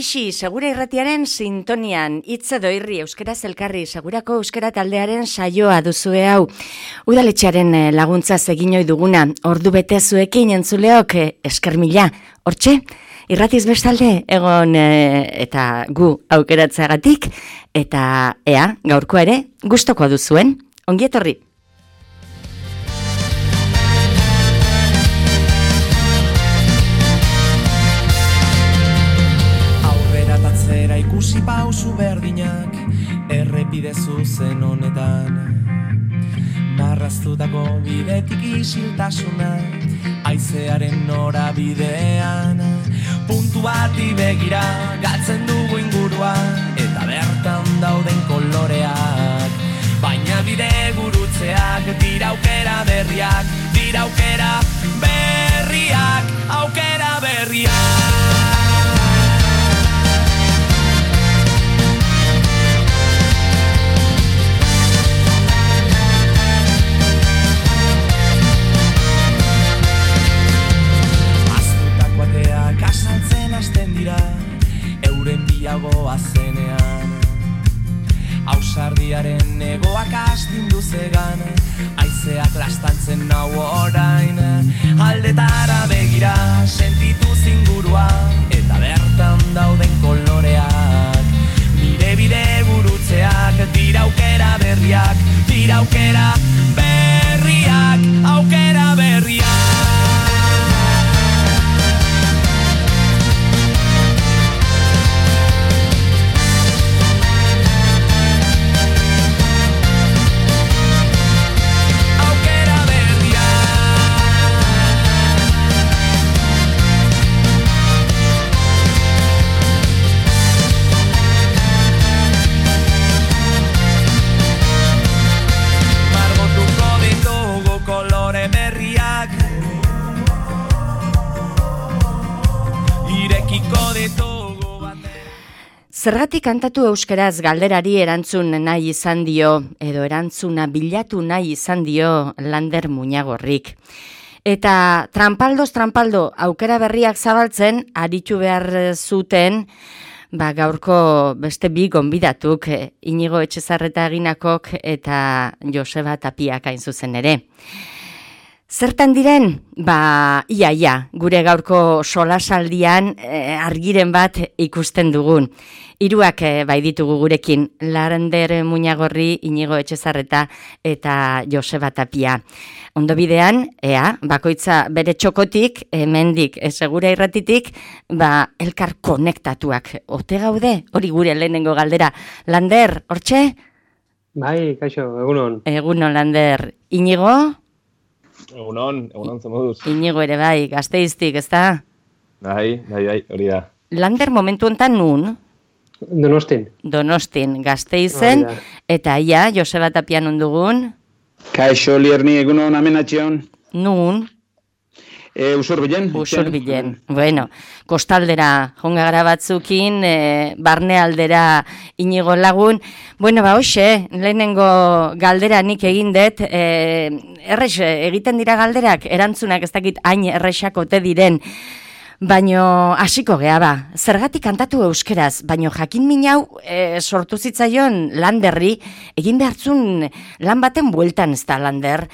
bixi, Segura Irratiaren sintonian, hitz edo irri euskaraz elkarri, Segurako euskara taldearen saioa duzue hau. Udaletxearen laguntzaz egin ohi duguna, ordu bete zuekin entzuleok, esker mila, hortxe? Irratiz bestalde, egon eta gu aukeratzeagatik, eta ea, gaurko ere, gustoko duzuen, ongi etorri. Ikusi pausu berdinak errepide zuzen honetan, marraztutako bidetik isiltasuna haizearen norabidean, puntu bati begira galtzen dugu ingurua eta bertan dauden koloreak, baina bide gurutzeak dira aukera berriak, dira aukera berriak, aukera berriak. Kasaltzen hasten dira, euren bilagoa zenean, ausardiaren egoak astindu zegan, haizeak lastantzen nau orain, aldetara begira sentitu zingurua, eta bertan dauden koloreak, nire bide gurutzeak, dira aukera berriak, dira aukera berriak, aukera berriak. Zergatik kantatu euskaraz galderari erantzun nahi izan dio, edo erantzuna bilatu nahi izan dio Lander Muñagorrik. Eta trampaldo aukera berriak zabaltzen, aritu behar zuten, gaurko beste bi gonbidatuk, Inigo Etxezarreta Eginakok eta Joseba Tapiak hain zuzen ere. Zertan diren? Ia, gure gaurko solasaldian argiren bat ikusten dugun. Hiruak bai ditugu gurekin, Lander Muñagorri, Inigo Etxezarreta eta Joseba Tapia. Ondo bidean, bakoitza bere txokotik, hemendik, Segura Irratitik, elkar konektatuak. Ote gaude? Hori gure lehenengo galdera. Lander, hortxe? Bai, kaixo, egunon. Egunon, Lander. Inigo? Egunon zemoduz. Inigo ere bai, Gasteiztik, ezta? Bai, hori da. Lander momentu enten nun? Donostin, Gasteizen, eta Joseba Tapia nun dugun? Kaixo, Lierni, egunon, amenatxion. Nun? Usurbilen. Bueno, kostaldera jonga gara batzukin, barne aldera Inigo lagun. Bueno, hoxe, lehenengo galdera nik egin dut, errex, egiten dira galderak, erantzunak ez dakit hain errexak ote diren, baino hasiko gea zergatik kantatu euskeraz, baino jakin minau sortu zitzaion Landerri, egin behartzun lan baten bueltan ez da Lander,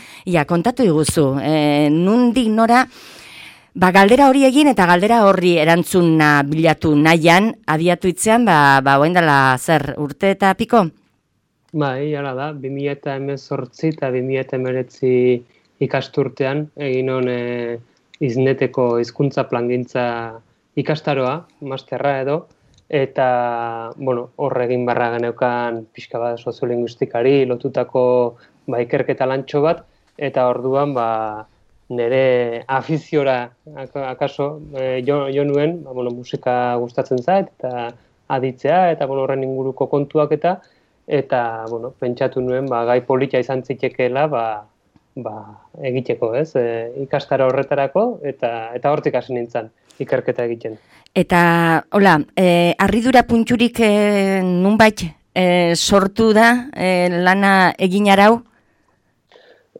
kontatu iguzu, nundik nora, galdera hori egin eta galdera horri erantzuna bilatu nahian, abiatu itzean, oendala zer, urte eta piko? Bai, hala da, 2018 eta 2019 ikasturtean, egin hon izneteko hizkuntza plangintza ikastaroa, masterra edo, eta, hor egin barra geneukan pixka bat soziolinguistikari lotutako ikerketa lantxo bat, eta orduan, nire afiziora, akaso, jo nuen, musika gustatzen zait, eta aditzea, eta horren inguruko kontuak eta, pentsatu nuen, gai polita izan zitekeela, egiteko, ez? Ikastaro horretarako, eta hortik hasi nintzen ikerketa egiten. Eta, harridura punturik nunbait sortu da lana egin arau?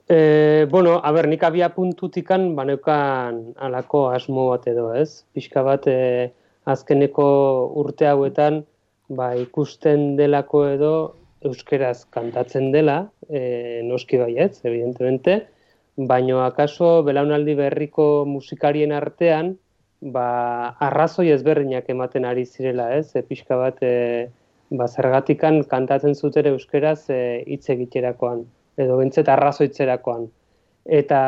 Nik abia puntutikan baneukan alako asmo bat edo, ez? Pixka bat azkeneko urte hauetan ikusten delako edo euskeraz kantatzen dela, noski baietz, evidentemente, baino akaso belaunaldi berriko musikarien artean arrazoi ezberdinak ematen ari zirela, ez? Pixka bat zergatikan kantatzen zuten euskeraz hitz egiterakoan, edo bentzet arrazoitzerakoan. Eta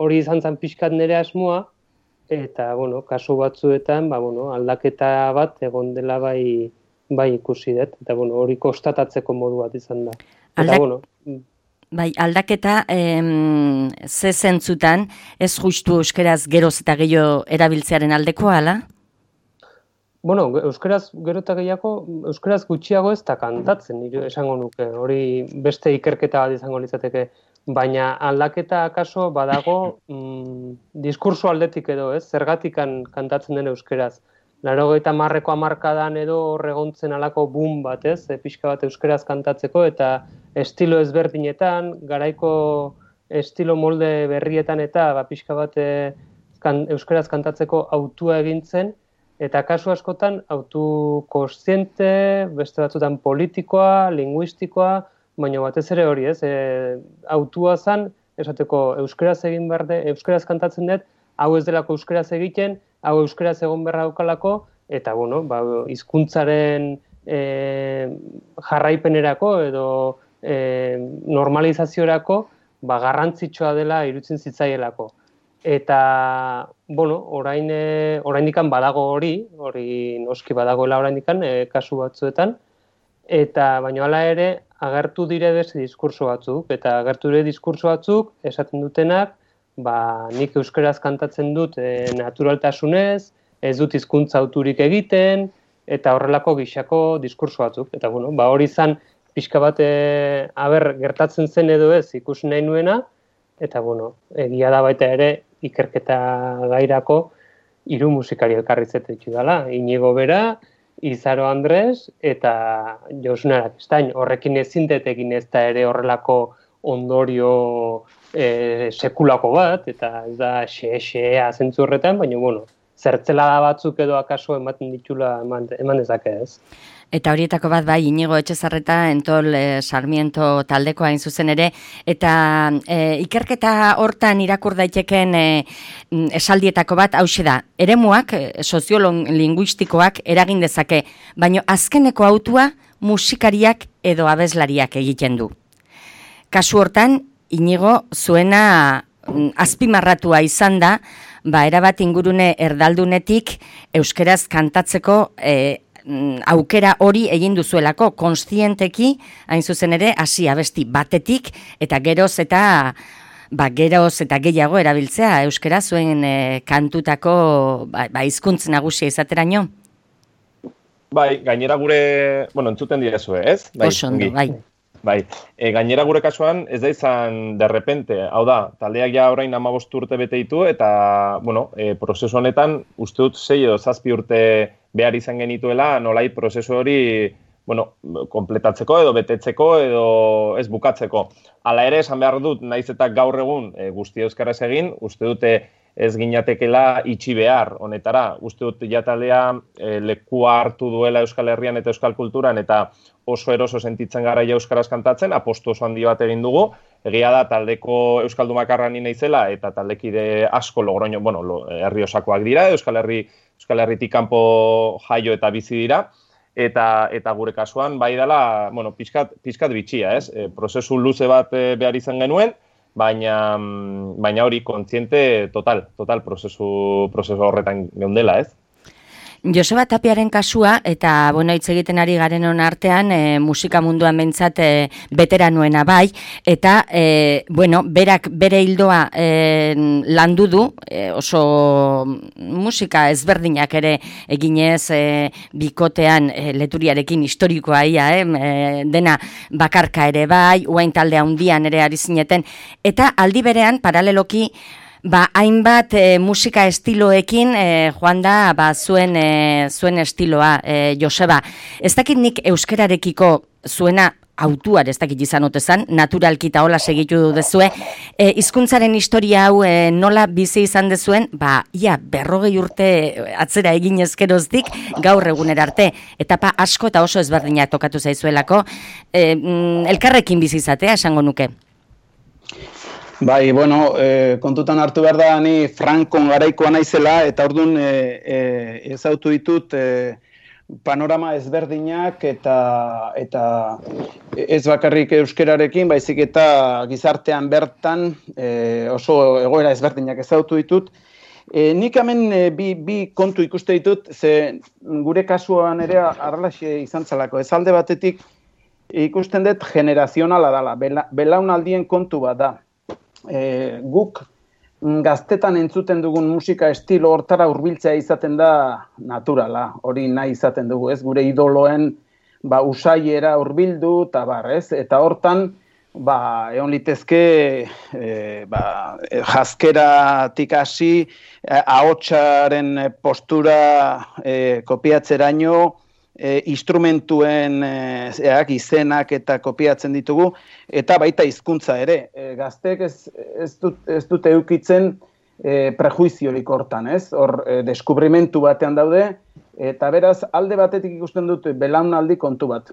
hori izan zen pixkat nire asmoa, eta, kasu batzuetan, aldaketa bat egon dela bai ikusi dut, eta, hori konstatatzeko modu bat izan da. Eta, aldaketa ze zentzutan ez justu euskeraz geroz eta gehiago erabiltzearen aldekoa, ala? Euskaraz gero eta gehiago, euskaraz gutxiago ez da kantatzen, nire esango nuke, hori beste ikerketa bat izango litzateke, baina aldaketa akaso badago diskurso aldetik edo, ez? Zergatikan kantatzen den euskeraz. 80ko hamarkadan edo horregontzen alako boom bat, ez? Pixka bat euskeraz kantatzeko eta estilo ezberdinetan, garaiko estilo molde berrietan eta pixka bat euskeraz kantatzeko autua egintzen, eta kasu askotan autu kontziente, beste batzutan politikoa, linguistikoa, baina batez ere hori, ez? Autua zan, esateko euskeraz egin behar de, euskeraz kantatzen dut, hau ez delako euskeraz egiten, hau euskeraz egon beharra daukalako, eta, hizkuntzaren jarraipenerako edo normalizaziorako garrantzitsua dela iruditzen zitzaielako. Eta, oraindikan badago hori noski badagoela oraindikan kasu batzuetan, eta baina hala ere agertu dire beste diskurso batzuk, eta agertu dire diskurso batzuk esaten dutenak, nik euskeraz kantatzen dut naturaltasunez, ez dut hizkuntza auturik egiten, eta horrelako gixako diskurso batzuk. Eta hori izan pixka bat gertatzen zen edo ez ikusi nahi nuena, eta egia da baita ere ikerketa gairako 3 musikari elkarrizete ditu dela, Inigo Bera, Izaro Andres eta Josune Arakistain. Horrekin ezin dut egin ez da ere horrelako ondorio sekulako bat, eta ez da xe-xea zentzu horretan, baina, zertzelada batzuk edo akaso ematen ditula eman dezake ez. Eta horietako bat Inigo Etxezarreta Entol Sarmiento taldeko hain zuzen ere, eta ikerketa hortan irakur daiteken esaldietako bat hauxe da, eremuak, soziolinguistikoak eragin dezake, baina azkeneko autua musikariak edo abeslariak egiten du. Kasu hortan, Inigo zuena azpimarratua izan da, erabat ingurune erdaldunetik euskeraz kantatzeko aukera hori egin duzuelako, kontzienteki, hain zuzen ere, hasi abesti batetik, eta geroz eta gehiago erabiltzea euskera zuen kantutako hizkuntz nagusia izateraino. Gainera gure, entzuten direzue, ez? Oso ondo, gainera gure kasuan ez da izan derrepente, hau da, taldeak ja orain 15 urte bete ditu, eta, prozesu honetan, uste dut 6 edo 7 urte behar izan genituela, nolai prozesu hori, kompletatzeko edo betetzeko edo ez bukatzeko. Hala ere, esan behar dut, naiz eta gaur egun guzti euskaraz egin, uste dute ez ginatekela itxi behar honetara. Uste dut ja taldea lekua hartu duela Euskal Herrian eta Euskal Kulturan, eta oso eroso sentitzen gara ja euskaraz kantatzen, apostu oso handi bat egin dugu. Egia da, taldeko euskaldumakarra ni naizela, eta taldekide asko Logroño, herri osakoak dira, Euskal Herritik kanpo jaio eta bizi dira, eta gure kasuan bai dela, pixkat bitxia, ez? Prozesu luze bat behar izan genuen, baina hori kontziente total prozesu horretan geundela, ez? Joseba Tapiaren kasua, eta hitz egiten ari garen hon artean, musika munduan behintzat veteranoena bai, eta, berak bere hildoa landu du, oso musika ezberdinak ere eginez bikotean leturiarekin historikoa ia, dena bakarka ere bai, uain talde handian ere ari zineten, eta aldi berean, paraleloki, hainbat musika estiloekin joan da zuen estiloa, Joseba. Ez dakit nik euskerarekiko zuena autuar ez dakit izan otezan, naturalki eta hola segitu duzue, hizkuntzaren historia hau nola bizi izan dezuen, ia 40 urte atzera egin ezkeroztik gaur egunera arte, etapa asko eta oso ezberdinak tokatu zaizuelako, elkarrekin bizi izatea esango nuke. Bai, bueno, kontutan hartu behar da, ni Frankon garaikoa naizela, eta orduan ezautu ditut panorama ezberdinak eta ez bakarrik euskerarekin, baizik eta gizartean bertan oso egoera ezberdinak ezautu ditut. Nik hemen bi kontu ikuste ditut, ze gure kasuan ere arrelaxe izan zelako. Ez alde batetik ikusten dut generazionala dela, belaunaldien kontu bat da. Guk gaztetan entzuten dugun musika estilo hortara hurbiltzea izaten da naturala, hori nahi izaten dugu, ez? Gure idoloen usaiera hurbildu eta ez? Eta hortan egon litezke jaskeratik hasi, ahotsaren postura kopiatzeraino, instrumentuen izenak eta kopiatzen ditugu, eta baita hizkuntza ere. Gazteek ez dute eukitzen prejuiziorik hortan, ez? Hor, deskubrimentu batean daude, eta beraz, alde batetik ikusten dut belaunaldi kontu bat.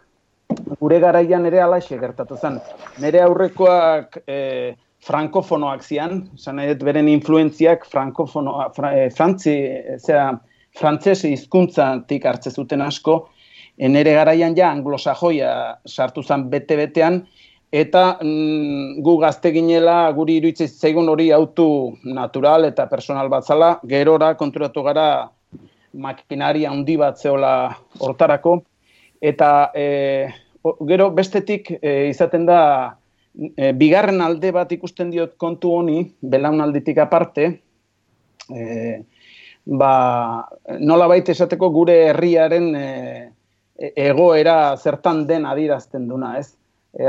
Gure garaian ere alaxe gertatu zen. Nire aurrekoak frankofonoak zian, esan nahi dut beren influentziak frantzese hizkuntzatik hartze zuten asko, nire garaian ja anglosajoia sartu zen bete-betean, eta gu gazte ginela, guri iruditzen zaigun hori autu natural eta personal bat zala, gerora konturatu gara makinaria handi bat zeola hortarako, eta gero bestetik izaten da, bigarren alde bat ikusten diot kontu honi, belaunalditik aparte, nola baita esateko gure herriaren egoera zertan den adierazten duna, ez?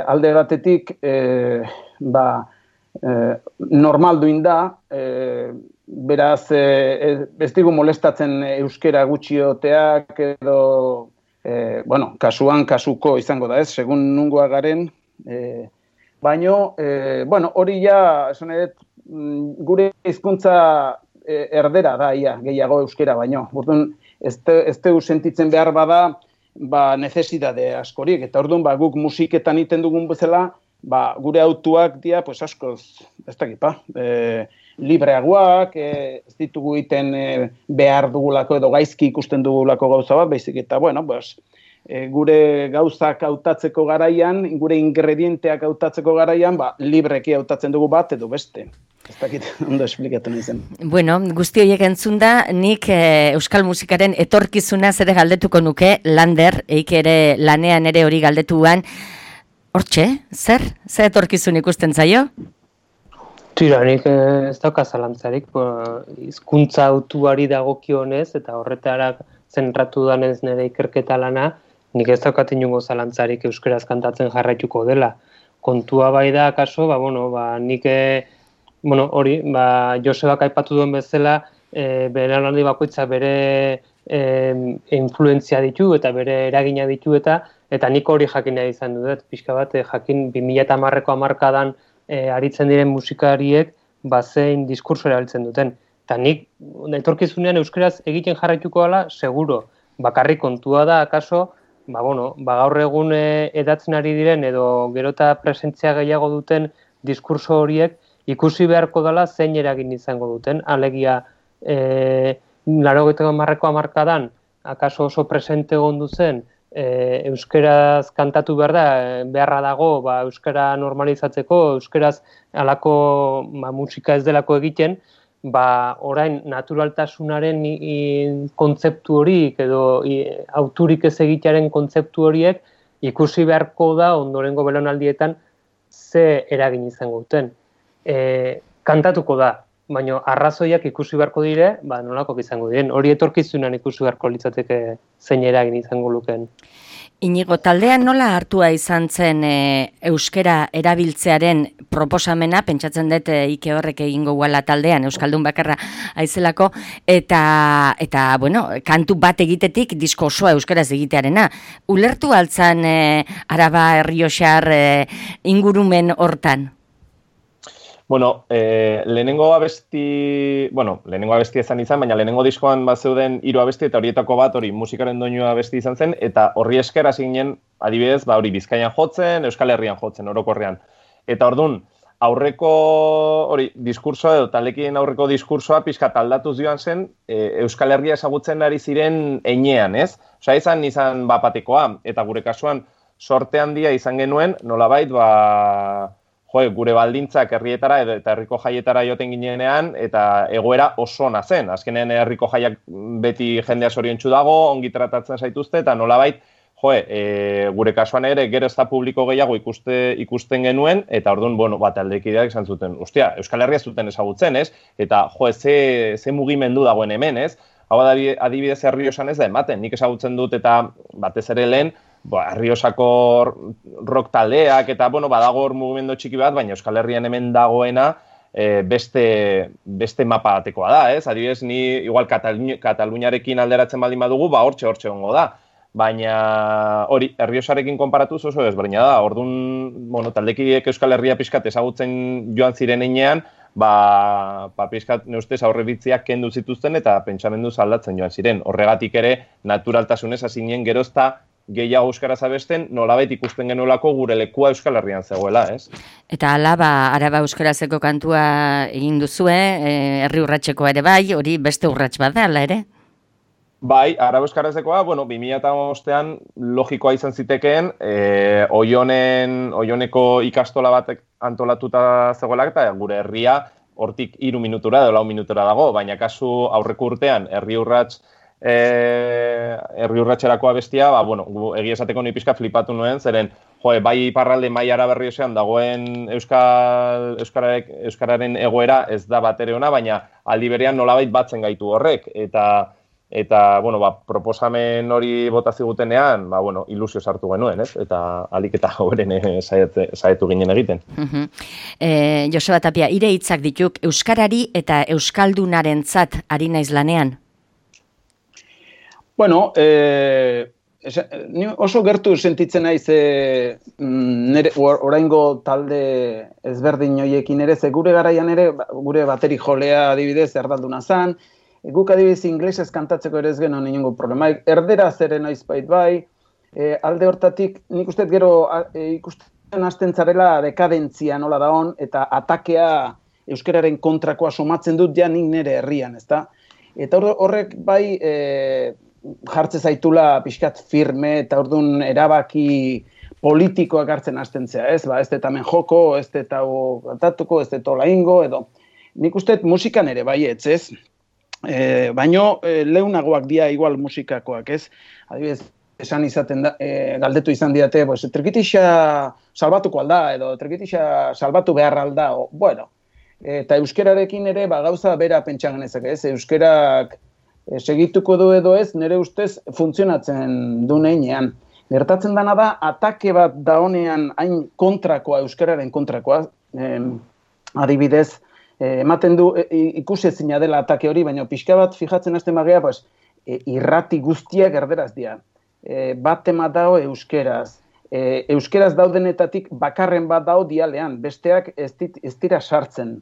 Alde batetik, normalduin da, beraz, ez digu molestatzen euskera gutxioteak edo, kasuan kasuko izango da, ez? Segun nungoa garen, baino, hori ja, esan edet, gure hizkuntza erdera da, gehiago euskera baino. Orduan, ez dugu sentitzen behar bada, necesidade askorik. Eta orduan, guk musiketan iten dugun bezala, gure autuak dira, pues askoz, ez dakipa, libreagoak, ez ditugu iten behar dugulako edo gaizki ikusten dugulako gauza bat, baizik eta, gure gauzak hautatzeko garaian, gure ingredienteak hautatzeko garaian, libreki hautatzen dugu bat edo beste. Ez dakit, ondo esplikatu nahi zen. Bueno, guzti horiek entzunda, nik euskal musikaren etorkizuna ere galdetuko nuke, Lander, eik ere lanean ere hori galdetuan. Hortxe, zer etorkizun ikusten zaio? Tira, nik ez dauka zalantzarik, hizkuntza autuari dagokionez, eta horretara zentratu danez nire ikerketa lana, nik ez daukat inongo zalantzarik euskaraz kantatzen jarraituko dela. Kontua bai da, kaso, nik hori, Josebak aipatu duen bezala, belaunaldi bakoitza bere influentzia ditu eta bere eragina ditu eta nik hori jakinea izan dut, pixka bat, jakin 2010ko hamarkadan aritzen diren musikariek zein diskurso erabiltzen duten. Eta nik, etorkizunean euskaraz egiten jarraituko dela, seguro. Bakarrik kontua da, akaso, gaur egun edatzen ari diren edo gerota presentzia gehiago duten diskurso horiek ikusi beharko dela zein eragin izango duten. Alegia, 80ko hamarkadan, akaso oso presente egondu zen, euskaraz kantatu behar da, beharra dago, euskara normalizatzeko, euskaraz alako musika ez delako egiten, orain naturaltasunaren kontzeptu horiek edo auturik ez egitearen kontzeptu horiek ikusi beharko da ondorengo belaunaldietan ze eragin izango duten. Kantatuko da, baina arrazoiak ikusi beharko dire, nolako izango diren. Hori etorkizunan ikusi beharko litzateke zein eragin izango lukeen. Inigo, taldean nola hartua izan zen euskera erabiltzearen proposamena, pentsatzen dut Ike horrek egingo guala taldean, euskaldun bakarra aizelako, eta bueno, kantu bat egitetik disko osoa euskaraz egitearena. Ulertu altzan Araba Errioxar ingurumen hortan? Bueno, lehenengo abesti izan, baina lehenengo diskoan zeuden 3 abesti eta horietako bat hori musikaren doinua abesti izan zen, eta horri esker hasi ginen, adibidez, hori Bizkaian jotzen, Euskal Herrian jotzen, orokorrean. Eta ordun aurreko hori diskursoa edo talekien aurreko diskursoa pixkat aldatuz joan zen, Euskal Herria ezagutzen ari ziren heinean, ez? Osea, izan bapatekoa, eta gure kasuan sorte handia izan genuen, nolabait, gure baldintzak herrietara eta herriko jaietara joten ginenean, eta egoera oso ona zen. Azkenean herriko jaiak beti jendea zoriontsu dago, ongi tratatzen zaituzte, eta nolabait, gure kasuan ere gero ez da publiko gehiago ikusten genuen, eta orduan, taldekideak izan zuten, Euskal Herria zuten ezagutzen, ez? Eta, ze mugimendu dagoen hemen, ez? Hau adibidez Errioxan ez da ematen, nik ezagutzen dut eta batez ere lehen, Erriosako rock taldeak eta, badago hor mugimendu txiki bat, baina Euskal Herrian hemen dagoena beste mapa batekoa da, ez? Adibidez, ni igual Kataluniarekin alderatzen baldin badugu, hortxe ongo da. Baina hori, Errioxarekin konparatuz oso ezberdina da. Orduan, taldekideek Euskal Herria pixkat ezagutzen joan ziren heinean, pixkat neustez aurrebitziak kendu zituzten eta pentsamendu aldatzen joan ziren. Horregatik ere, naturaltasunez hasinien gerozta gehiago euskaraz abesten, nolabait ikusten genuelako gure lekua Euskal Herrian zegoela, ez? Eta hala, Araba euskarazeko kantua egin duzue, herri urratsekoa ere bai, hori beste urrats bat da, hala ere? Bai, Araba euskarazekoa, 2005an logikoa izan zitekeen, Oioneko ikastola batek antolatuta zegoelak, eta gure herria hortik 3 minutura edo 4 minutura dago, baina kasu aurreko urtean herri urratxerako abestia, egia esateko ni pixka flipatu nuen, zeren, bai iparralde mai Araba Errioxean dagoen euskararen egoera ez da batere ona, baina aldi berean nolabait batzen gaitu horrek, eta proposamen hori bota zigutenean, ilusio sartu genuen, ez? Eta alik eta horren saietu ginen egiten. Joseba Tapia, ire hitzak dituk, euskarari eta euskaldunarentzat ari naiz lanean? Bueno, ni oso gertu sentitzen naiz oraingo talde ezberdin hoiekin ere, ze gure garaian ere, gure bateri jolea adibidez erdalduna zan, guk adibidez inglesez kantatzeko ere ez genuen inongo problema. Erderaz ere naizbait bai, alde hortatik nik uste gero ikusten hasten zarela dekadentzia nola daon, eta atakea euskararen kontrakoa somatzen dut ja nik nire herrian, ezta? Eta horrek bai jartze zaitula pixkat firme eta orduan erabaki politikoak hartzen hasten zea, ez? Ez dut hemen joko, ez dut hau kantatuko, ez dut hola ingo, edo. Nik uste musikan ere baietz, ez? Baino leunagoak dia igual musikakoak, ez? Adibidez, esan izaten da, galdetu izan diate, trikitixa salbatuko alda, edo trikitixa salbatu behar alda, bueno. Eta euskerarekin ere gauza bera pentsa genezak, ez? Euskerak segituko du edo ez, nire ustez funtzionatzen du neinean. Gertatzen dana da, atake bat da honean hain kontrakoa, euskararen kontrakoa, adibidez, ematen du ikusezina dela atake hori, baina pixka bat fijatzen hasten bagea, irrati guztiak erderaz dira. Bat tema dao euskeraz. Euskeraz daudenetatik bakarren bat dao dialean, besteak ez dira sartzen.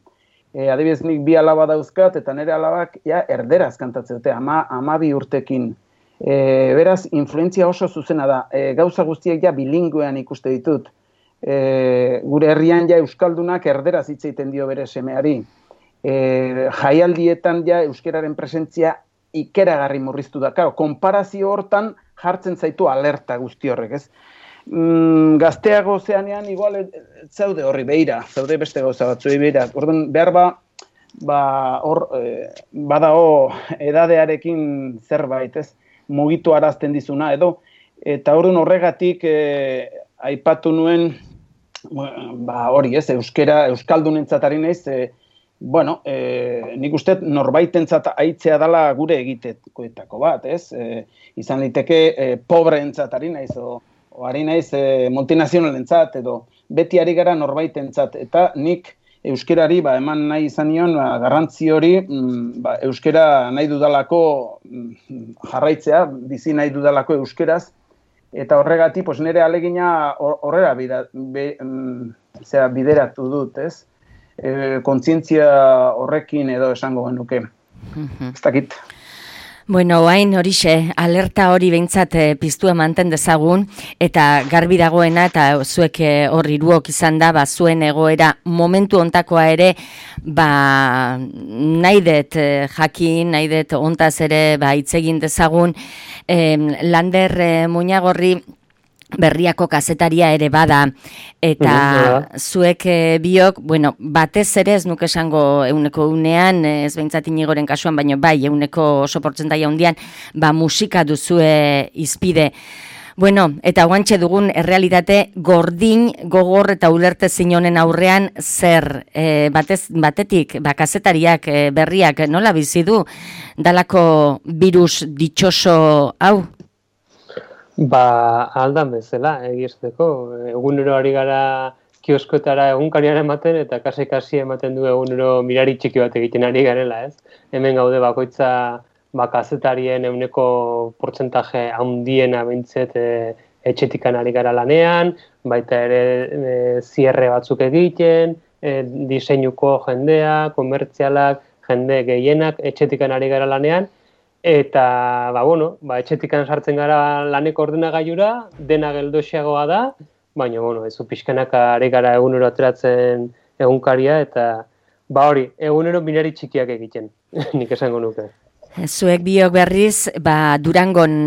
Adibidez nik 2 alaba dauzkat, eta nire alabak erderaz kantatzen dute, 12 urtekin. Beraz, influentzia oso zuzena da. Gauza guztiak bilinguean ikuste ditut. Gure herrian euskaldunak erderaz hitz egiten dio bere semeari. Jaialdietan euskararen presentzia ikeragarri murriztu da. Konparazio hortan jartzen zaitu alerta guzti horrek, ez? Gazteago zeanean igual zaude horri behira, zaude beste gauza batzuei behira. Orduan, behar hor badao edadearekin zerbait, ez? Mugitu arazten dizuna, edo. Eta orduan horregatik aipatu nuen, hori ez, euskaldunentzat ari naiz, bueno, nik uste norbaitentzat aitzea dela gure egitekoetako bat, ez? Izan liteke pobreentzat ari naiz, o ari naiz multinazionalentzat, edo beti ari gara norbaitentzat, eta nik euskerari eman nahi izan nion garrantzi hori euskera nahi dudalako jarraitzea, bizi nahi dudalako euskeraz, eta horregatik nire alegina horrela bideratu dut, ez? Kontzientzia horrekin edo esango genuke. Ez dakit. Bueno, hain horixe, alerta hori behintzat piztua manten dezagun, eta garbi dagoena, eta zuek hor hiruok izan da, zuen egoera momentu ontakoa ere, nahi dut jakin, nahi dut ontaz ere hitz egin dezagun, Lander Muñagorri Berriako kazetaria ere bada, eta zuek biok, batez ere ez nuke esango euneko unean, ez behintzat Inigoren kasuan, baina bai, euneko oso portzentaia hundian, musika duzue izpide. Eta guantxe dugun errealitate gordin, gogor eta ulertezin honen aurrean zer, batetik, kazetariak, berriak, nola bizi du, dalako virus ditxoso hau? Aldan bezala, egiesteko. Egunero ari gara kioskotara egunkariaren ematen, eta kasi ematen du egunero mirari txiki bat egiten ari garela, ez? Hemen gaude bakoitza kazetarien euneko portzentaje handiena bintzet etxetikan ari gara lanean, baita ere zierre batzuk egiten, diseinuko jendea, komertzialak, jende gehienak etxetikan ari gara lanean, eta, etxetikan sartzen gara laneko ordenagailura, dena geldoxeagoa da, baina, ez pixkanaka ari gara egunero ateratzen egunkaria, eta, hori, egunero minari txikiak egiten, nik esango nuke. Zuek biok berriz, Durangon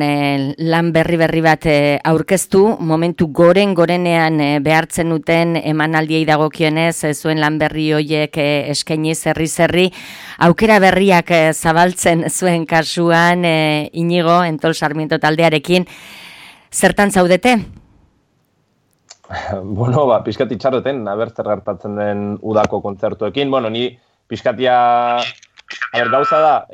lan berri bat aurkeztu, momentu gorenean behartzen duten emanaldiei dagokionez, zuen lan berri horiek eskaini zerri, aukera berriak zabaltzen zuen kasuan, Inigo, Entol Sarmiento taldearekin, zertan zaudete? Pixkat itxaroten, zer gertatzen den udako kontzertuekin, ni pixkatia... Gauza da,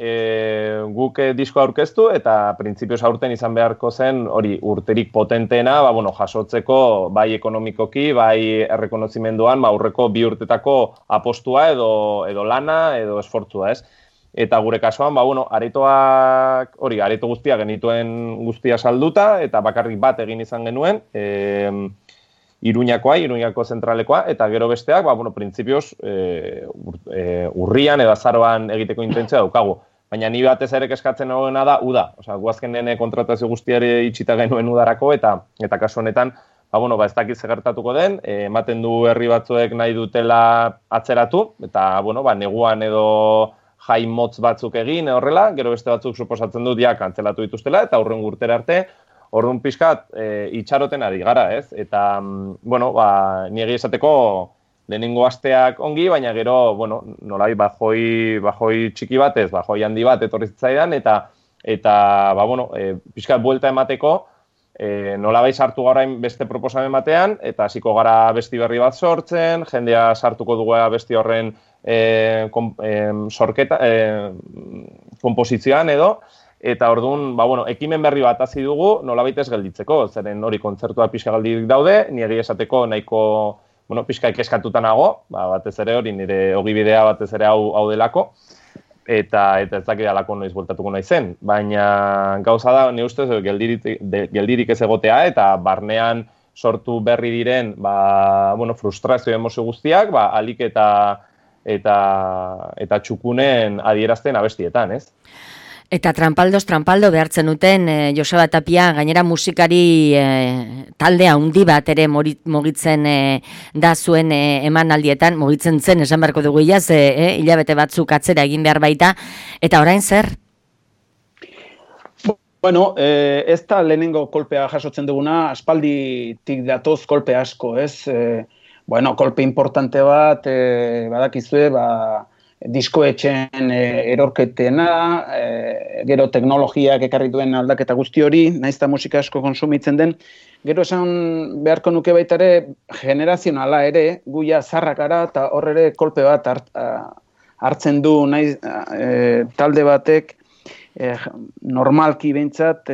guk disko aurkeztu eta printzipioz aurten izan beharko zen hori urterik potenteena, jasotzeko bai ekonomikoki, bai errekonozimenduan, aurreko 2 urtetako apostua edo lana edo esfortzua, ez? Eta gure kasuan, areto guztia genituen guztia salduta eta bakarrik bat egin izan genuen, Iruñako zentralekoa, eta gero besteak, printzipioz, urrian edo azaroan egiteko intentzia daukagu. Baina ni batez ere eskatzen hogena da, uda. Guazkenen kontratazio guztiari itxita genuen udarako, eta kasu honetan, ez dakit gertatuko den, ematen du herri batzuek nahi dutela atzeratu, eta, neguan edo jai motz batzuk egin, horrela, gero beste batzuk suposatzen dut, kantzelatu dituztela, eta hurrengo urtera arte, orduan pixkat itxaroten ari gara, ez? Eta, niegi esateko lehenengo asteak ongi, baina gero, nolai bajoi txiki batez, bajoi handi bat etorri zitzaidan, eta pixkat buelta emateko, nolabai sartu garain beste proposamen batean, eta hasiko gara besti berri bat sortzen, jendea sartuko dugu besti horren komposizioan edo, eta orduan, ekimen berri bat hasi dugu, nolabait ez gelditzeko, zeren hori kontzertua pixka galdirik daude, nire esateko nahiko, pixka ikeskatuta nago, batez ere hori nire ogibidea batez ere hau delako, eta ez dakidalako noiz bueltatuko nahi zen. Baina gauza da, nire ustez, geldirik ez egotea, eta barnean sortu berri diren, frustrazio emozio guztiak, alik eta txukunen adierazten abestietan, ez? Eta trampaldo behartzen duten Joseba Tapia, gainera musikari talde handi bat ere mugitzen da zuen emanaldietan, mugitzen zen, esan beharko dugu iaz, hilabete batzuk atzera egin behar baita, eta orain zer? Ez da lehenengo kolpea jasotzen duguna, aspalditik datoz kolpe asko, ez? Kolpe importante bat, badakizue, diskoetxen erorketena, gero teknologiak ekarri duen aldaketa guzti hori, naizta musika asko konsumitzen den, gero esan beharko nuke baita ere generazionala ere, guia zarrak gara eta hor ere kolpe bat hartzen du talde batek normalki behintzat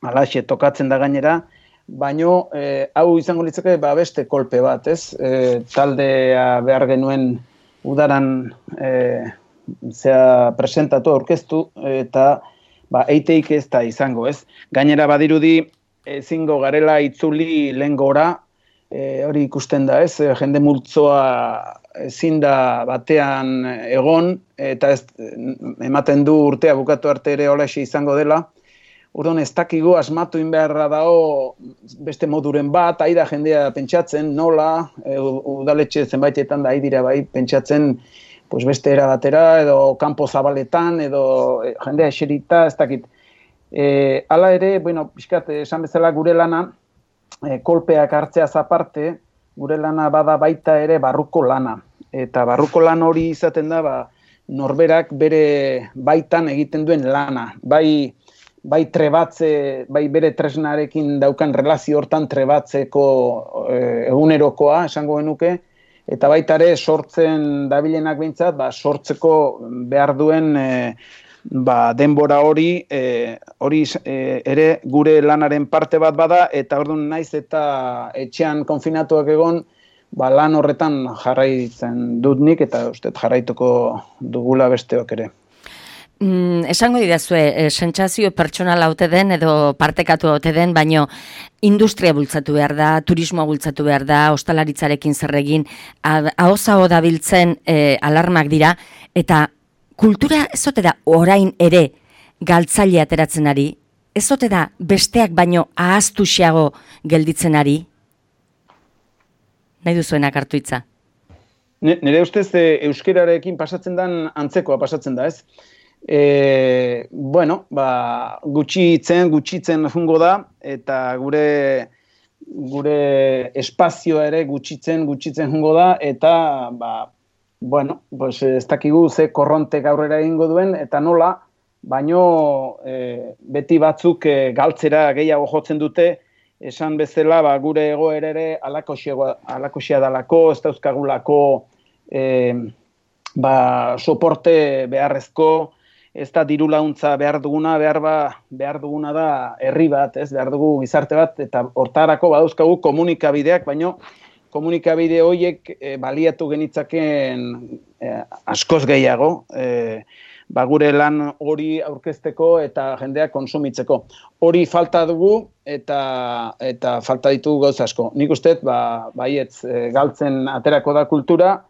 alaxe tokatzen da gainera, baino hau izango litzake beste kolpe bat, ez? Taldea behar genuen udaran presentatu, aurkeztu, eta eiteik ez da izango, ez? Gainera badirudi ezingo garela itzuli lehen gora, hori ikusten da, ez? Jende multzoa ezin da batean egon, eta ematen du urtea bukatu arte ere holaxe izango dela. Orduan ez dakigu asmatu inbeharra dago beste moduren bat, aida jendea pentsatzen, nola, udaletxe zenbaitetan da aidira bai pentsatzen beste era batera, edo kanpo zabaletan, edo jendea eserita, ez dakit. Hala ere, pixkat, esan bezala gure lana, kolpeak hartzeaz aparte, gure lana bada baita ere barruko lana. Eta barruko lan hori izaten da, norberak bere baitan egiten duen lana. Bai trebatze, bai bere tresnarekin daukan relazio hortan trebatzeko egunerokoa, esango genuke, eta baita ere sortzen dabilenak behintzat, sortzeko behar duen denbora hori ere gure lanaren parte bat bada, eta orduan naiz eta etxean konfinatuak egon, lan horretan jarraitzen dut nik, eta uste jarraituko dugula besteok ere. Esango didazue, sentsazio pertsonala ote den edo partekatu ote den, baino industria bultzatu behar da, turismoa bultzatu behar da, ostalaritzarekin zer egin, ahozaho dabiltzen alarmak dira, eta kultura ez ote da orain ere galtzaile ateratzen ari, ez ote da besteak baino ahaztuxeago gelditzen ari? Nahi duzuenak hartu hitza. Nire ustez euskerarekin pasatzen den antzekoa pasatzen da, ez? Gutxitzen jungo da, eta gure espazioa ere gutxitzen jungo da, eta ez dakigu ze korrontek aurrera egingo duen, eta nola, baino beti batzuk galtzera gehiago jotzen dute, esan bezala gure egoera ere alakoxea dalako, ez dauzkagulako soporte beharrezko, ez da diru laguntza behar duguna da herri bat, ez behar dugu gizarte bat, eta hortarako badauzkagu komunikabideak, baino komunikabide horiek baliatu genitzaken askoz gehiago, gure lan hori aurkezteko eta jendeak konsumitzeko. Hori falta dugu eta falta ditugu gauza asko. Nik uste, baietz galtzen aterako da kultura,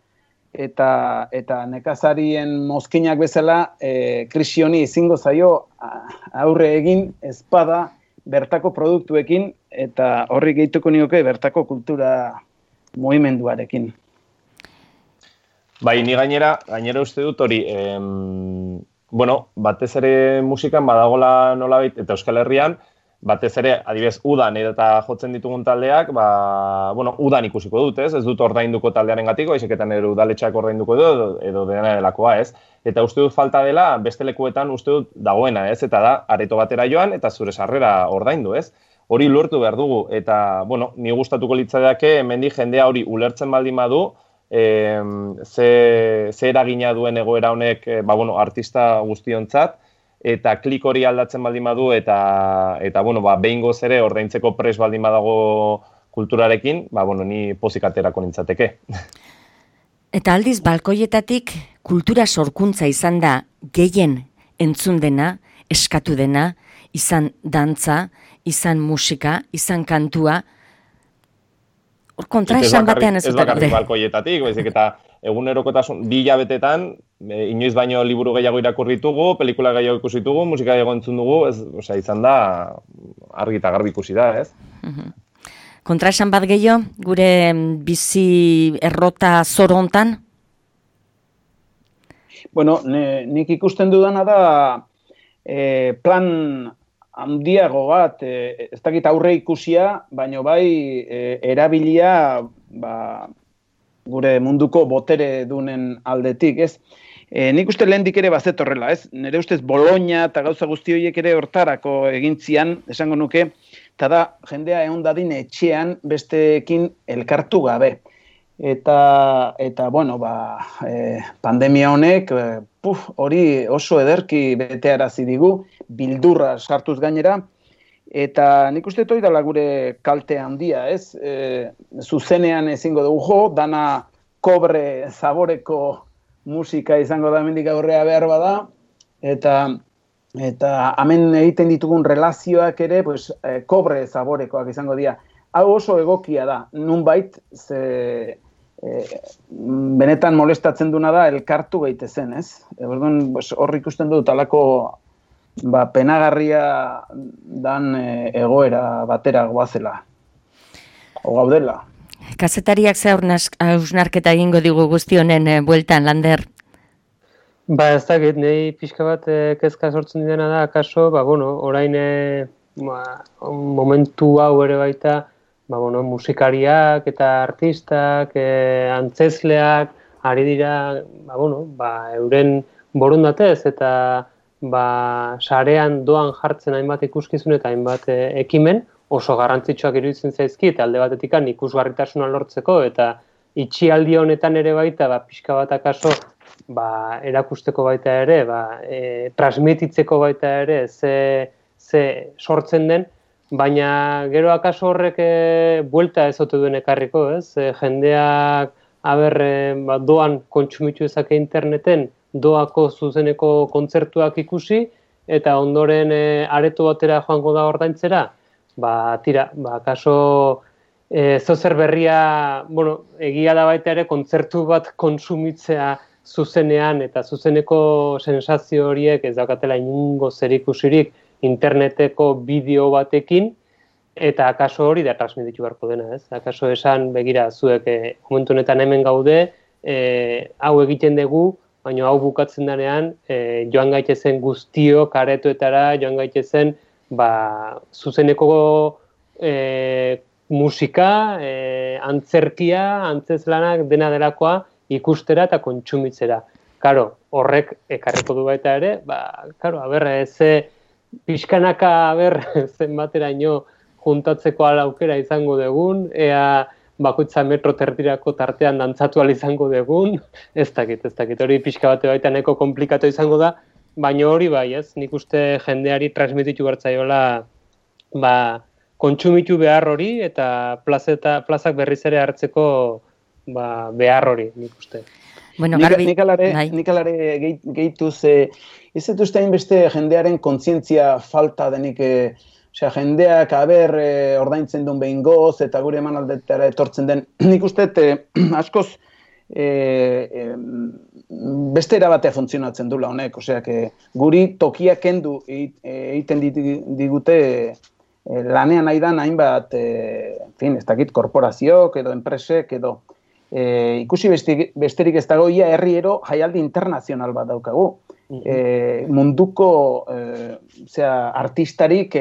eta nekazarien mozkinak bezala krisi honi ezingo zaio aurre egin ezpada bertako produktuekin, eta horri gehituko nioke bertako kultura mugimenduarekin. Bai, ni gainera uste dut hori, batez ere musikan badagola nolabait, eta Euskal Herrian, batez ere, adibidez, udan eta jotzen ditugun taldeak, udan ikusiko dut, ez dut ordainduko taldearen gatiko, izaketan ere udaletxeak ordainduko dut, edo dena delakoa, ez? Eta uste dut falta dela, beste lekuetan uste dut dagoena, ez? Eta da, areto batera joan, eta zure sarrera ordaindu, ez? Hori lortu behar dugu, eta, ni gustatuko litzaiake, hemendik jendea hori ulertzen baldin badu, ze eragina duen egoera honek, artista guztiontzat, eta klik hori aldatzen baldin badu, eta behingoz ere ordaintzeko pres baldin badago kulturarekin, ni pozik aterako nintzateke. Eta aldiz, balkoietatik kultura sorkuntza izan da gehien entzun dena, eskatu dena, izan dantza, izan musika, izan kantua, hor kontraesan batean ez dut. Ez bakarrik balkoietatik, baizik eta egunerokotasun 2 hilabetetan, inoiz baino liburu gehiago irakurri ditugu, pelikula gehiago ikusi ditugu, musika gehiago entzun dugu, izan da argi eta garbi ikusi da, ez? Kontraesan bat gehiago, gure bizi errota zoro hontan? Nik ikusten dudana da plan handiago bat, ez dakit aurre ikusia, baino bai erabilia gure munduko botere dunen aldetik, ez? Nik uste lehendik ere bazetorrela, ez? Nire ustez Bologna eta gauza guzti horiek ere hortarako egintzian, esango nuke, eta da jendea egon dadin etxean besteekin elkartu gabe. eta bueno, pandemia honek hori oso ederki betearazi digu, bildurra sartuz gainera, eta nik uste hori dela gure kalte handia, ez? Zuzenean ezingo dugu jo, dana kobre zaboreko musika izango da hemendik aurrea behar bada, eta hemen egiten ditugun relazioak ere, pues, kobre zaborekoak izango dira. Hau oso egokia da, nunbait, benetan molestatzen duna da elkartu gaitezen, ez? Orduan, hor ikusten dut alako penagarria dan egoera batera goazela, o gaudela. Kazetariak ze hausnarketa egingo digu guzti honen bueltan, Lander? Ez dakit, nahi pixka bat kezka sortzen dena da, akaso, orain momentu hau ere baita, musikariak eta artistak, antzezleak, ari dira, euren borondatez eta sarean doan jartzen hainbat ikuskizun eta hainbat ekimen, oso garrantzitsuak iruditzen zaizkit, alde batetikan ikusgarritasuna lortzeko, eta itxialdi honetan ere baita, pixka bat akaso, erakusteko baita ere, transmititzeko baita ere, ze sortzen den, baina gero akaso horrek buelta ez ote duen ekarriko, ez? Jendeak, doan kontsumitu ezake interneten, doako zuzeneko kontzertuak ikusi, eta ondoren areto batera joango da ordaintzera, akaso zozer berria, egia da baita ere, kontzertu bat kontsumitzea zuzenean, eta zuzeneko sensazio horiek ez daukatela inungo zerikusirik interneteko bideo batekin, eta akaso hori da transmititu beharko dena, ez? Akaso esan, begira, zuek momentu honetan hemen gaude, hau egiten dugu, baina hau bukatzen denean, joan gaitezen guztiok aretoetara, joan gaitezen zuzeneko musika, antzerkia, antzezlanak, dena delakoa ikustera eta kontsumitzera. Karo, horrek ekarriko du baita ere, pixkanaka zenbateraino juntatzeko aukera izango dugun, ea bakoitza metro terdirako tartean dantzatu izango dugun, ez dakit, hori pixka bate baita neko komplikatu izango da, baina hori ez, nik uste jendeari transmititu bertzaiola kontsumitu behar hori eta plazak berriz ere hartzeko behar hori, nik uste. Bueno, Garbi, nik alare gehituz, ez dut ustein beste jendearen kontzientzia falta denik, jendeak ordaintzen duen behin goz, eta gure eman aldetara etortzen den, nik uste askoz beste erabatea funtzionatzen dula honek, guri tokiak kendu egiten digute lanean aidan hainbat, ez dakit, korporazioak edo enpresek edo, ikusi besterik ez dago, ia herriero jaialdi internazional bat daukagu. Munduko artistarik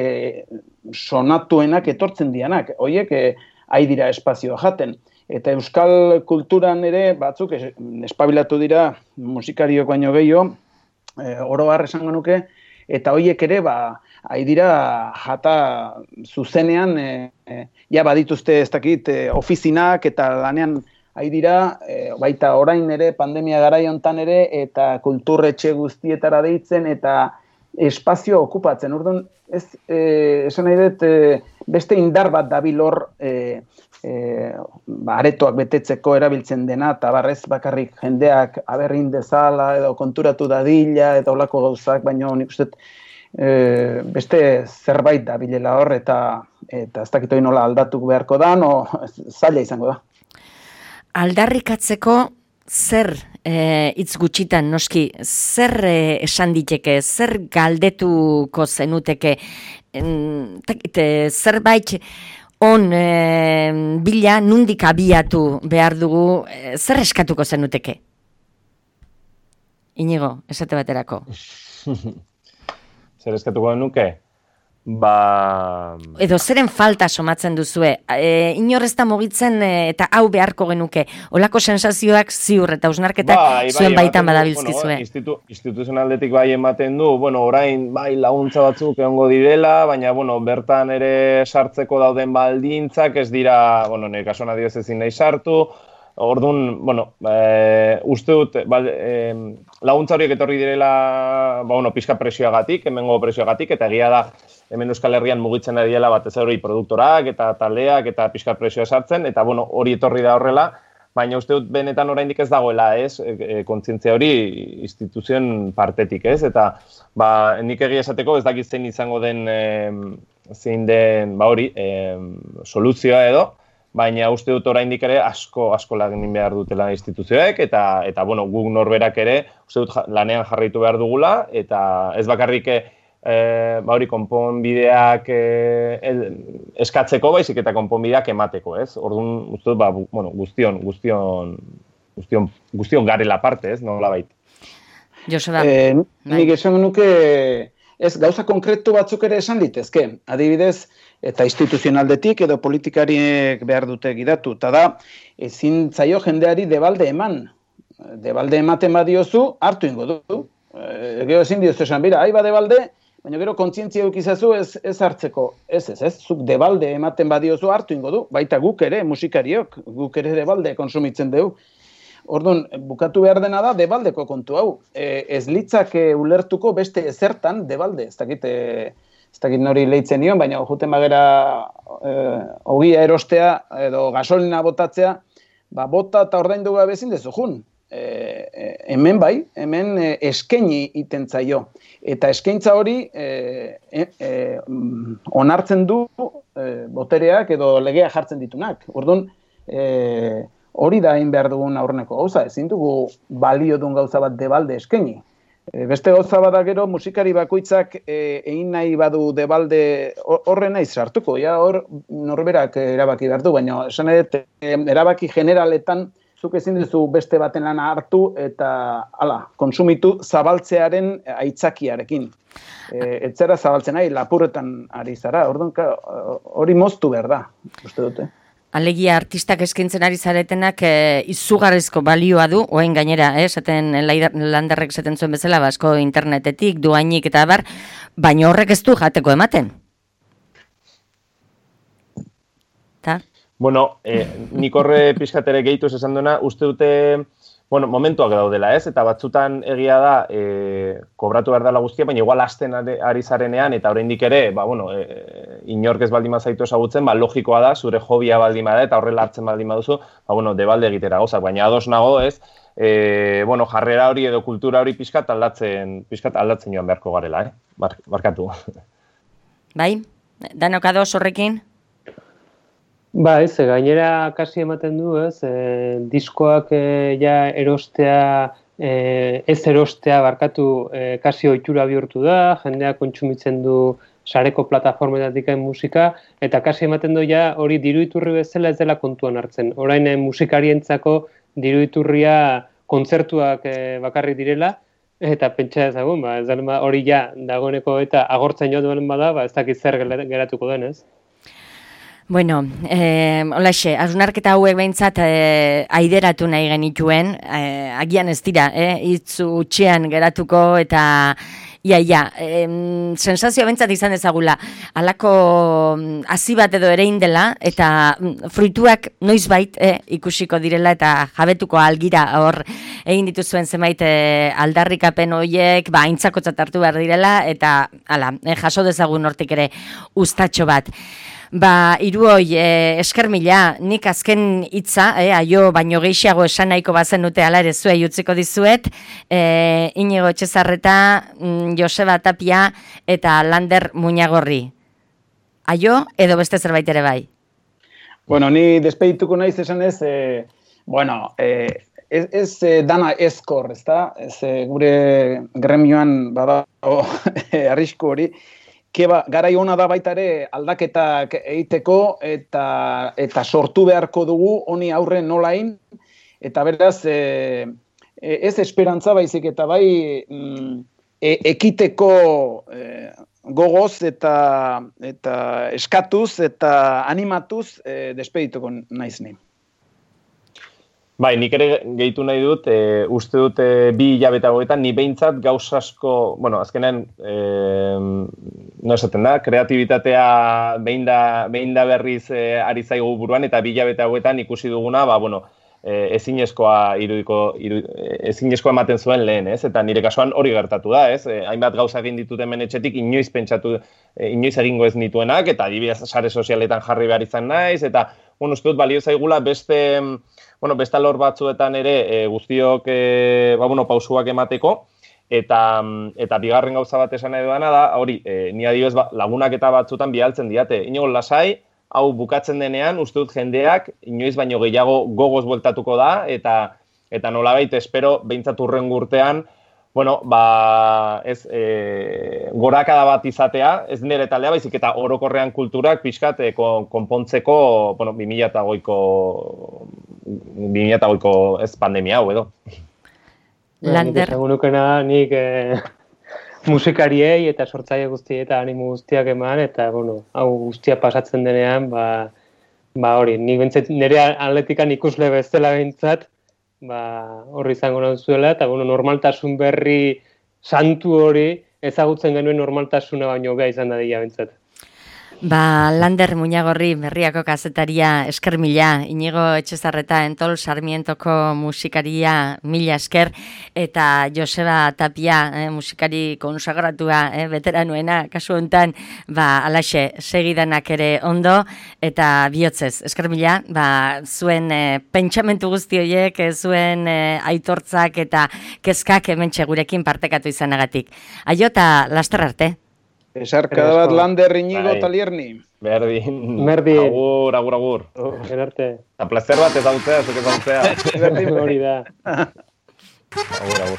sonatuenak etortzen dianak, horiek dira espazioa jaten. Eta euskal kulturan ere batzuk espabilatu dira musikariok baino gehiago, oro har esango nuke, eta horiek ere dira jata zuzenean, badituzte ez dakit ofizinak eta lanean dira, baita orain ere, pandemia garai hontan ere, eta kulturretxe guztietara deitzen, eta espazio okupatzen. Orduan, esan nahi dut, beste indar bat dabil hor, aretoak betetzeko erabiltzen dena, eta barrez bakarrik jendeak aberrin dezala, edo konturatu dadila, eta olako gauzak, baina nik uste beste zerbait dabilela hor, eta ez dakit hori nola aldatu beharko da, zaila izango da. Aldarrikatzeko zer hitz gutxitan noski, zer esan diteke, zer galdetuko zenuteke, zerbait on bila nundik abiatu behar dugu, zer eskatuko zenuteke? Inigo, esate baterako. Zer eskatuko nuke? Edo zeren falta somatzen duzue, inorrezta mugitzen eta hau beharko genuke, olako sensazioak ziur eta hausnarketak zuen baitan badabilzkizue. Instituzionaldetik ematen du, orain laguntza batzuk egongo direla, baina bertan ere sartzeko dauden baldintzak ez dira, nire kasuan adioz ezin nahi sartu, Orduan, bueno, uste dut, laguntza horiek etorri direla, pixka presioagatik, hemengo presioagatik, eta egia da, hemen Euskal Herrian mugitzen ari dela batez hori produktorak eta taldeak eta pixka presioa sartzen, eta hori etorri da horrela, baina uste dut benetan oraindik ez dagoela, kontzientzia hori instituzioen partetik, eta nik egia esateko ez dakit zein izango den, zein den, soluzioa edo, baina uste dut oraindik ere asko lagin behar dutela instituzioek, eta guk norberak ere uste dut lanean jarraitu behar dugula, eta ez bakarrik konponbideak eskatzeko, baizik eta konponbideak emateko, ez? Orduan, uste dut, guztion garela parte, ez? Nola bait. Joseba. Nik esan nuke, ez, gauza konkretu batzuk ere esan litezke. Adibidez, eta instituzionaldetik edo politikariek behar dute gidatu. Eta da, ezin zaio jendeari debalde eman. Debalde ematen badiozu, hartu ingo du. Gero ezin diozu esan, bera, aiba debalde, baina gero kontzientzia eukizazu ez hartzeko. Ez, zuk debalde ematen badiozu hartu ingo du. Baita guk ere, musikariok, guk ere debalde konsumitzen dugu. Orduan, bukatu behar dena da, debaldeko kontu hau. Ez litzak ulertuko beste ezertan debalde. Ez dakit nori leitzen nion, baina juten bagera ogia erostea edo gasolina botatzea, bota eta ordaindu gabe ezin dezu jun. Hemen hemen eskaini iten zaio. Eta eskaintza hori onartzen du botereak edo legea jartzen ditunak. Orduan, hori da egin behar dugun aurreneko gauza, ezin dugu balio duen gauza bat debalde eskaini. Beste gauza bada gero, musikari bakoitzak egin nahi badu debalde horren nahi sartuko. Hor norberak erabaki behar du, baina esan erabaki generaletan zuk ezin duzu beste baten lana hartu eta konsumitu zabaltzearen aitzakiarekin. Etzera zabaltzen nahi, lapurretan ari zara. Orduan, hori moztu behar da, uste dute. Alegia artistak eskaintzen ari zaretenak izugarrizko balioa du, oen gainera, esaten Landerrek esaten zuen bezala, asko internetetik, duainik eta bar, baina horrek ez du jateko ematen. Ta? Bueno, nik horre pixkatere gehituz esan duena, uste dute, momentuak daudela, ez? Eta batzutan egia da, kobratu behar dela guztia, baina igual hasten ari zarenean, eta oraindik ere, inork ez baldin bazaitu ezagutzen, logikoa da, zure hobia baldin bada, eta horrela hartzen baldin baduzu, debalde egitera gauzak, baina ados nago, ez? Jarrera hori edo kultura hori pixkat aldatzen joan beharko garela, barkatu. Bai? Danok ados horrekin? Ez, gainera kasi ematen du, ez, diskoak erostea, ez erostea barkatu kasi ohitura bihurtu da, jendeak kontsumitzen du sareko plataformetatik musika, eta kasi ematen du hori diru-iturri bezala ez dela kontuan hartzen. Orain musikarientzako diru-iturria kontzertuak bakarrik direla, eta pentsa ezagun, hori dagoeneko eta agortzen joan bada, ez dakit zer geratuko den, ez? Bueno, holaxe, hausnarketa hauek behintzat aideratu nahi genituen, agian ez dira, hitz utxean geratuko eta sensazioa behintzat izan ezagula, halako hasi bat edo ere indela eta fruituak noizbait ikusiko direla eta jabetuko algira hor egin dituzuen zenbait aldarrikapen horiek, aintzakotzat hartu behar direla eta jaso dezagun hortik ere ustatxo bat. Hiruoi, esker mila, nik azken hitza, aio baino gehiago esan nahiko bazen dute ala ere zuei utziko dizuet, Inigo Etxezarreta, Joseba Tapia eta Lander Muñagorri. Aio edo beste zerbait ere bai? Ni despedituko naiz esan ez, ez dana ezkor, ez da? Gure gremioan badago arrisku hori, garai ona da baita ere aldaketak egiteko eta sortu beharko dugu honi aurre nolain, eta beraz ez esperantza baizik eta bai ekiteko gogoz eta eskatuz eta animatuz despedituko naiz ni. Nik ere gehitu nahi dut, uste dut 2 hilabete hauetan, ni behintzat gauz asko, azkenean, no esaten da, kreatibitatea behin da berriz ari zaigu buruan, eta 2 hilabete hauetan ikusi duguna, ezinezkoa ematen zuen lehen, ez? Eta nire kasuan hori gertatu da, ez? Hainbat gauza egin ditut hemen etxetik, inoiz egingo ez nituenak, eta adibidez sare sozialetan jarri behar izan naiz, eta, uste dut, balio zaigula beste alor batzuetan ere guztiok, pausuak emateko, eta bigarren gauza bat esan nahi duena da, hori, ni adibidez lagunak eta batzutan bialtzen diate, inoz lasai, hau bukatzen denean, uste dut jendeak, inoiz baino gehiago gogoz bueltatuko da, eta nolabait espero, behintzat hurrengo urtean, gorakada bat izatea, ez nire taldea baizik, eta orokorrean kulturak pixkat konpontzeko, 2008ko ez pandemia hau edo. Lander. Egunukena nik musikariei eta sortzaile guztiei eta animo guztiak eman, eta, hau guztia pasatzen denean, hori, nik bentzat nire atletikan ikusle bezala behintzat, horri izango nahuzuela, eta, normaltasun berri santu hori ezagutzen genuen normaltasuna baino bea izan dadila bentzat. Lander Muñagorri, Berriako kazetaria, esker mila, Inigo Etxezarreta, Entol Sarmientoko musikaria, mila esker, eta Joseba Tapia, musikari konsagratua, veteranuena, kasu honetan, alaxe, segidanak ere ondo, eta bihotzez, esker mila, zuen pentsamentu guzti horiek, zuen aitortzak eta kezkak hementxe gurekin partekatu izanagatik. Aio eta laster arte. Esarkada bat Lander, Inigo, Talierni. Berdin. Agur. Gerarte. Eta placer bat ezagutzea, zuk ezagutzea. Berdin hori da. Agur.